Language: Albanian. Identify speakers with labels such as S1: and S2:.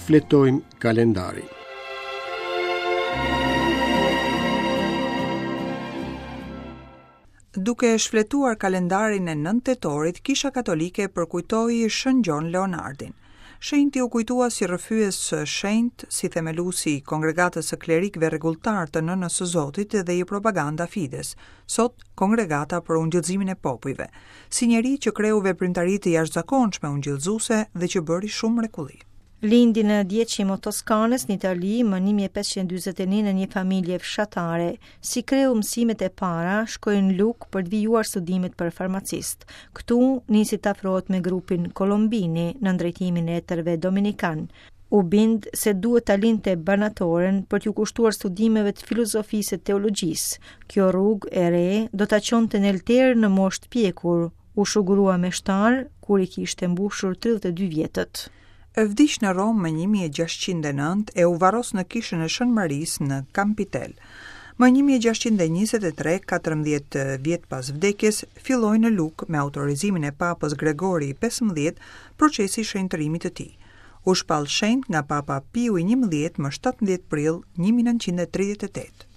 S1: Shfletojmë kalendarin.
S2: Duke shfletuar kalendarin e 9 tetorit, Kisha Katolike përkujtoi Shën Gjon Leonardin. Shenjti u kujtua si rrëfyes shenjt, si themeluesi i Kongregatës së Klerikëve Rregulltarë të Nënës së Zotit dhe i Propaganda Fides, sot Kongregata për Ungjillëzimin e Popujve, si njeri që kreu veprimtari të jashtëzakonshme ungjillëzuese dhe që bëri shumë mrekulli.
S3: Lindi në Diecimo Toskanës në Itali më 1541 në një familje fshatare. Si kreu mësimet e para, shkoi në Lukë për të vijuar studimet për farmacist. Këtu nisi të afrohet me grupin Kolombini nën drejtimin e etërve dominikanë. U bind se duhet ta linte barnatoren për t'iu kushtuar studimeve të filozofisë e teologjisë. Kjo rrugë e re do ta çonte në oltar në moshë të pjekur. U shugurua meshtar kur i kishte mbushur 32
S2: vjetët. Vdiq në Romë më 1609 e u varros në kishën e Shën Marisë në Kampitel. Më 1623, 14 vjet pas vdekjes, filloi në Lukë me autorizimin e Papës Gregori i 15 procesi i shenjtërimit të tij. U shpall shenjt nga Papa Piu i 11 më 17 prill 1938.